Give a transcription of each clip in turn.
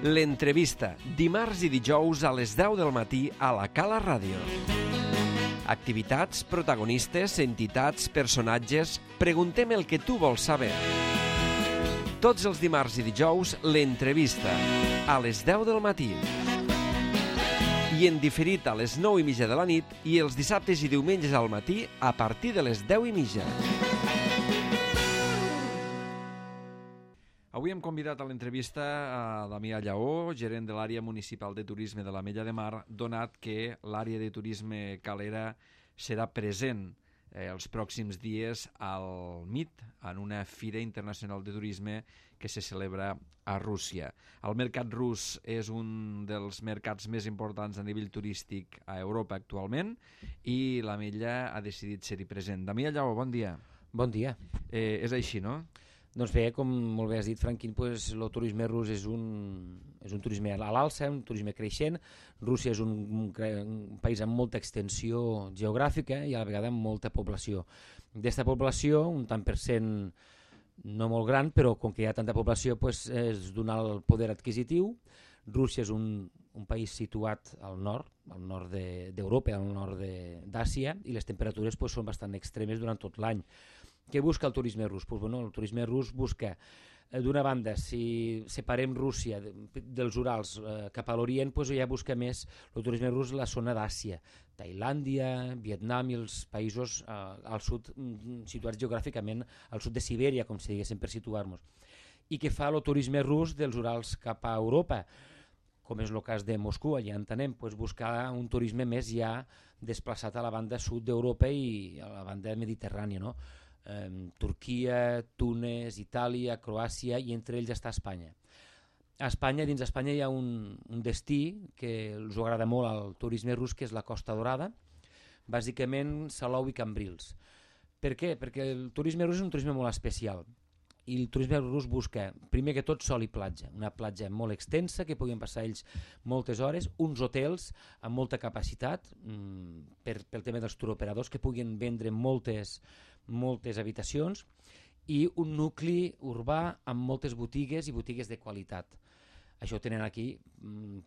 L'entrevista, dimarts i dijous a les 10 del matí a la Cala Ràdio. Activitats, protagonistes, entitats, personatges... Preguntem el que tu vols saber. Tots els dimarts i dijous, l'entrevista, a les 10 del matí. I en diferit a les 9:30 de la nit i els dissabtes i diumenges al matí a partir de les 10:30. Avui hem convidat a l'entrevista a Damià Lleó, gerent de l'àrea municipal de turisme de l'Ametlla de Mar, donat que l'àrea de turisme calera serà present els pròxims dies al MIT, en una fira internacional de turisme que se celebra a Rússia. El mercat rus és un dels mercats més importants a nivell turístic a Europa actualment i l'Ametlla ha decidit ser-hi present. Damià Lleó, bon dia. Bon dia. És així, no? Doncs bé, com molt bé has dit, Franquín, el turisme rus és un turisme a l'alça, un turisme creixent. Rússia és un país amb molta extensió geogràfica i a la vegada amb molta població. D'esta població, un tant per cent no molt gran, però com que hi ha tanta població és donar el poder adquisitiu. Rússia és un país situat al nord d'Europa, al nord d'Àsia, i les temperatures són bastant extremes durant tot l'any. Què busca el turisme rus? El turisme rus busca, d'una banda, si separem Rússia dels Urals cap a l'Orient, ja busca més el turisme rus la zona d'Àsia, Tailàndia, Vietnam i els països al sud, situats geogràficament al sud de Sibèria, com si diguéssim, per situar-nos. I què fa el turisme rus dels Urals cap a Europa? Com és el cas de Moscou, allà entenem, buscar un turisme més ja desplaçat a la banda sud d'Europa i a la banda mediterrània, no? Turquia, Túnez, Itàlia, Croàcia i entre ells està Espanya. Dins d'Espanya hi ha un destí que els agrada molt al turisme rus, que és la Costa Dorada, bàsicament Salou i Cambrils. Per què? Perquè el turisme rus és un turisme molt especial i el turisme rus busca, primer que tot, sol i platja, una platja molt extensa que puguin passar ells moltes hores, uns hotels amb molta capacitat pel tema dels turoperadors que puguin vendre moltes habitacions i un nucli urbà amb moltes botigues i botigues de qualitat. Això ho tenen aquí, hem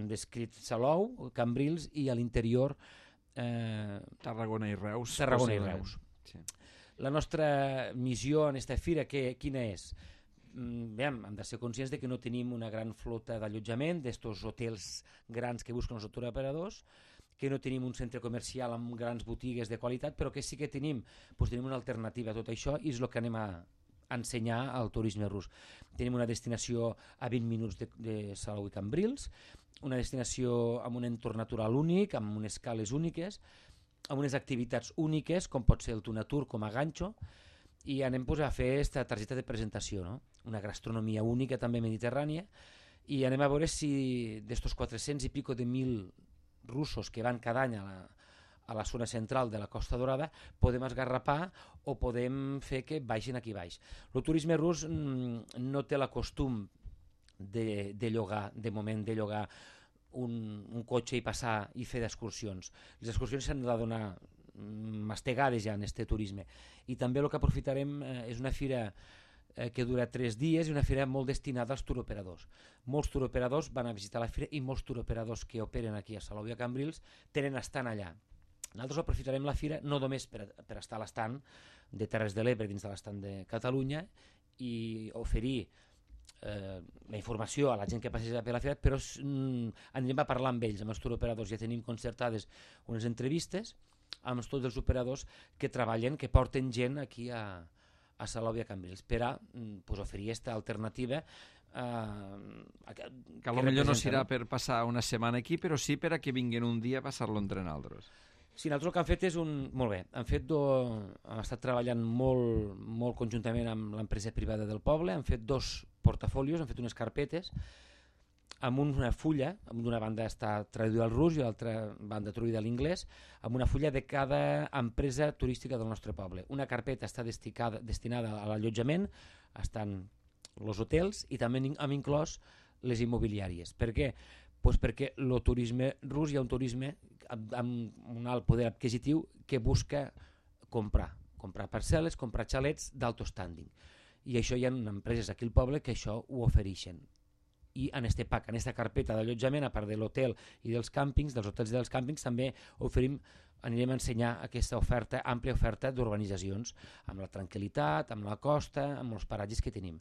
descrit Salou, Cambrils i a l'interior Tarragona i Reus. Sí. La nostra missió en aquesta fira, quina és? Hem de ser conscients de que no tenim una gran flota d'allotjament d'estos hotels grans que busquen els turoperadors, que no tenim un centre comercial amb grans botigues de qualitat, però que sí que tenim una alternativa a tot això i és el que anem a ensenyar al turisme rus. Tenim una destinació a 20 minuts de Salou i Cambrils, una destinació amb un entorn natural únic, amb unes cales úniques, amb unes activitats úniques, com pot ser el Tunatur com a ganxo, i anem a fer aquesta targeta de presentació, no? Una gastronomia única també mediterrània, i anem a veure si d'estos 400 i pico de 1.000 russos que van cada any a la zona central de la Costa Dorada podem esgarrapar o podem fer que baixin aquí baix. El turisme rus no té la costum de llogar, de moment de llogar un cotxe i passar i fer d'excursions. Les excursions s'han de donar mastegades ja en aquest turisme. I també el que aprofitarem és una fira que dura 3 dies i una fira molt destinada als turoperadors. Molts turoperadors van a visitar la fira i molts turoperadors que operen aquí a Salou i a Cambrils tenen estant allà. Nosaltres aprofitarem la fira no només per estar a l'estant de Terres de l'Ebre dins de l'estant de Catalunya i oferir la informació a la gent que passeja per la fira, però anirem a parlar amb ells, amb els turoperadors. Ja tenim concertades unes entrevistes amb tots els operadors que treballen, que porten gent aquí a Salou i a Cambrils per a oferir aquesta alternativa que potser no serà per passar una setmana aquí, però sí per a que vinguin un dia a passar-lo entre nosaltres. Sí, nosaltres el que hem fet és molt bé, hem estat treballant molt conjuntament amb l'empresa privada del poble, hem fet 2 portafolios, hem fet unes carpetes amb una fulla, d'una banda està traduïda al rus i l'altra banda traduïda a l'inglès, amb una fulla de cada empresa turística del nostre poble. Una carpeta està destinada a l'allotjament, estan els hotels i també hem inclòs les immobiliàries. Per què? Perquè el turisme rus hi ha un turisme amb un alt poder adquisitiu que busca comprar parcel·les, comprar xalets d'alto standing. I això hi ha empreses aquí al poble que això ho ofereixen. i en este pack, en esta carpeta d'allotjament, a part de l'hotel i dels càmpings, dels hotels i dels càmpings, també anirem a ensenyar aquesta oferta, àmplia oferta d'urbanitzacions, amb la tranquil·litat, amb la costa, amb els paratges que tenim.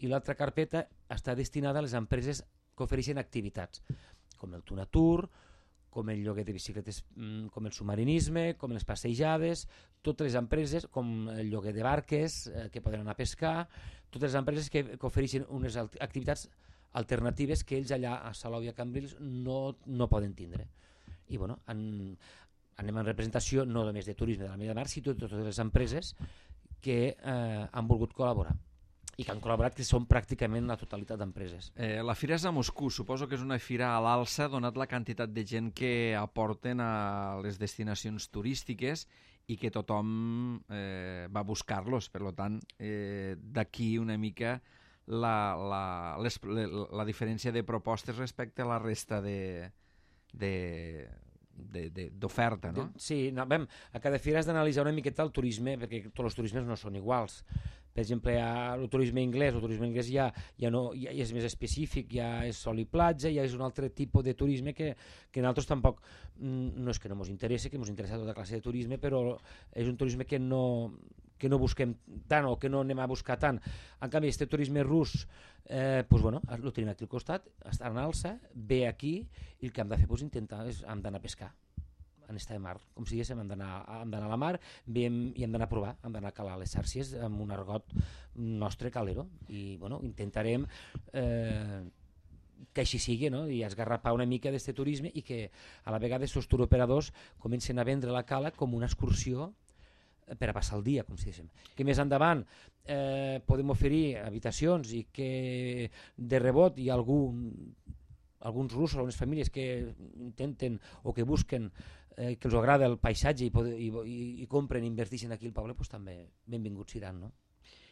I l'altra carpeta està destinada a les empreses que ofereixen activitats, com el Tunatur, com el lloguer de bicicletes, com el submarinisme, com les passejades, totes les empreses, com el lloguer de barques, que poden anar a pescar, totes les empreses que ofereixen unes activitats alternatives que ells allà a Salou i a Cambrils no poden tindre. I bueno, anem en representació no només de turisme de la Mella de Mar, sinó de totes les empreses que han volgut col·laborar i que han col·laborat, que són pràcticament la totalitat d'empreses. La fira és a Moscou, suposo que és una fira a l'alça, donat la quantitat de gent que aporten a les destinacions turístiques i que tothom va a buscar-los. Per tant, d'aquí una mica la diferència de propostes respecte a la resta d'oferta, no? Sí, a cada fira has d'analitzar una miqueta el turisme, perquè tots els turismes no són iguals. Per exemple, el turisme anglès ja és més específic, ja és sol i platja, ja és un altre tipus de turisme que nosaltres tampoc, no és que no ens interessa, que ens interessa tota classe de turisme, però és un turisme que no busquem tant o que no anem a buscar tant. En canvi, aquest turisme rus, el tenim aquí al costat, està en alça, ve aquí, i el que hem de fer hem d'anar a pescar en esta mar, com si diguéssim, hem d'anar a la mar i hem d'anar a provar, hem d'anar a calar les xàrcies amb un argot nostre calero, i intentarem que així sigui, no? I esgarrapar una mica d'aquest turisme i que a la vegada els turoperadors comencen a vendre la cala com una excursió per a passar el dia, com si diguéssim. Que més endavant podem oferir habitacions i que de rebot hi ha alguns russos, algunes famílies que intenten o que busquen que els agrada el paisatge i compren i inverteixen aquí al poble, doncs també benvinguts seran, no?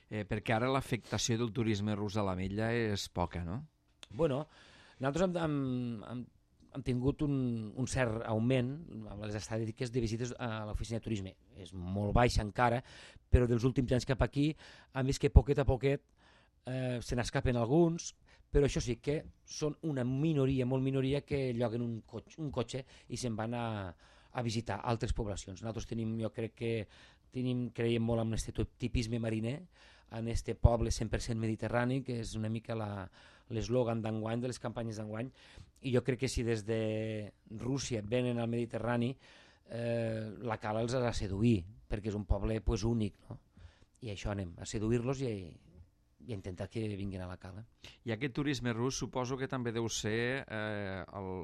Perquè ara l'afectació del turisme rus a l'Ametlla és poca, no? Bueno, nosaltres hem tingut un cert augment amb les estadístiques de visites a l'oficina de turisme. És molt baix encara, però dels últims anys cap aquí hem vist que poquet a poquet se n'escapen alguns, però això sí que són una minoria, molt minoria, que lloguen un cotxe i se'n van a visitar altres poblacions. Nosaltres jo crec que creiem molt en aquest tipisme mariner, en aquest poble 100% mediterrani, que és una mica l'eslògan d'enguany, de les campanyes d'enguany, i jo crec que si des de Rússia venen al Mediterrani, la cala els ha de seduir, perquè és un poble únic, no? I això anem, a seduir-los i a intentar que vinguin a la cala. I aquest turisme rus suposo que també deu ser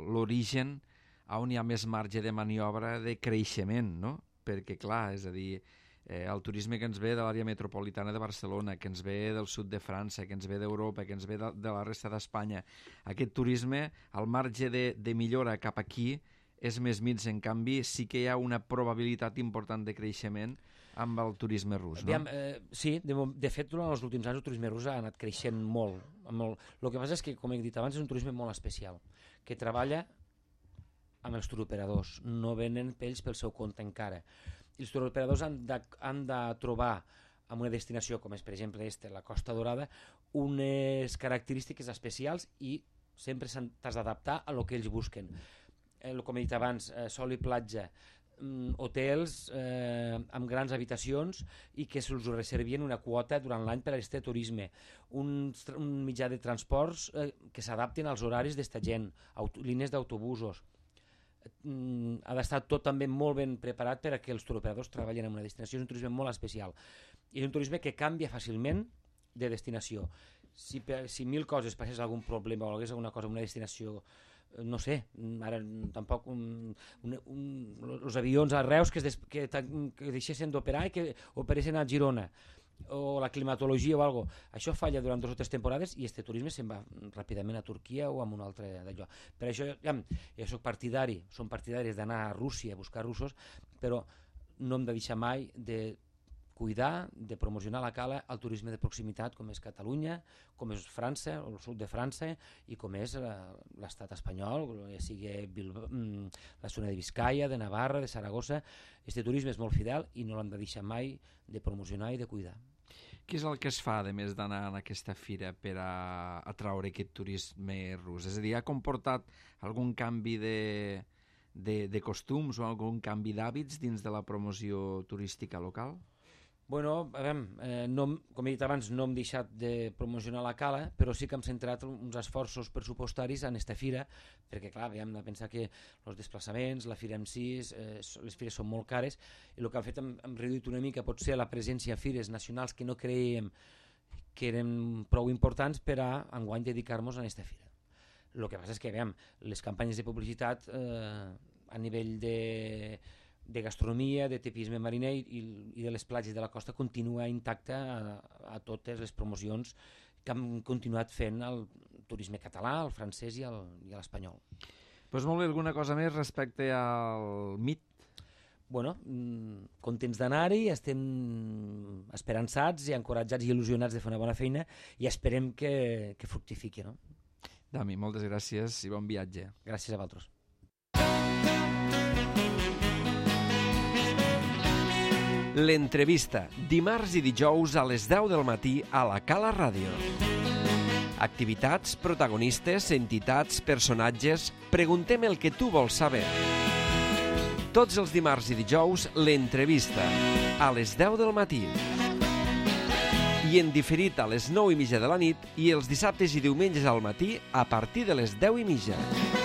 l'origen on hi ha més marge de maniobra de creixement, no? Perquè, clar, és a dir, el turisme que ens ve de l'àrea metropolitana de Barcelona, que ens ve del sud de França, que ens ve d'Europa, que ens ve de la resta d'Espanya, aquest turisme, al marge de millora cap aquí, és més mig. En canvi, sí que hi ha una probabilitat important de creixement amb el turisme rus, no? Sí, de fet, durant els últims anys el turisme rus ha anat creixent molt. El que passa és que, com he dit abans, és un turisme molt especial, que treballa amb els turoperadors, no venen pells pel seu compte encara. I els turoperadors han de trobar en una destinació com és, per exemple, la Costa Dorada, unes característiques especials i sempre t'has d'adaptar a el que ells busquen. Com he dit abans, sol i platja, hotels amb grans habitacions i que se'ls reservien una quota durant l'any per a aquest turisme, un mitjà de transports que s'adaptin als horaris d'esta gent, línies d'autobusos. Ha d'estar tot també molt ben preparat per a que els turoperadors treballin en una destinació. És un turisme molt especial i és un turisme que canvia fàcilment de destinació. Si 1000 coses passés algun problema o hagués alguna cosa en una destinació, no sé, ara tampoc els avions a Reus que deixessin d'operar i que operessin a Girona, o la climatologia o alguna cosa, això falla durant 2 o 3 temporades i este turisme se'n va ràpidament a Turquia o a un altre d'allò. Per això jo som partidaris d'anar a Rússia a buscar russos, però no hem de deixar mai de cuidar, de promocionar la cala al turisme de proximitat com és Catalunya, com és França, el sud de França, i com és l'estat espanyol, ja sigui la zona de Biscaia, de Navarra, de Saragossa. Este turisme és molt fidel i no l'hem de deixar mai de promocionar i de cuidar. Què és el que es fa, a més d'anar a aquesta fira per a atraure aquest turisme rus? És a dir, ha comportat algun canvi de costums o algun canvi d'hàbits dins de la promoció turística local? Bueno, a veure, com he dit abans, no hem deixat de promocionar la cala, però sí que hem centrat uns esforços pressupostaris en aquesta fira, perquè, clar, hem de pensar que els desplaçaments, la fira en si, les fires són molt cares, i el que hem fet, hem reduït una mica, potser, la presència a fires nacionals que no creiem que eren prou importants per a, enguany, dedicar-nos a aquesta fira. El que passa és que, les campanyes de publicitat a nivell de gastronomia, de tipisme mariner i de les platges de la costa continua intacta a totes les promocions que hem continuat fent al turisme català, al francès i a l'espanyol. Doncs molt bé, alguna cosa més respecte al MIT? Bueno, contents d'anar-hi, estem esperançats i encoratjats i il·lusionats de fer una bona feina i esperem que fructifiqui, no? Dami, moltes gràcies i bon viatge. Gràcies a vosaltres. L'entrevista, dimarts i dijous a les 10 del matí a la Cala Ràdio. Activitats, protagonistes, entitats, personatges... Preguntem el que tu vols saber. Tots els dimarts i dijous, l'entrevista, a les 10 del matí. I en diferit a les 9:30 de la nit i els dissabtes i diumenges al matí a partir de les 10:30.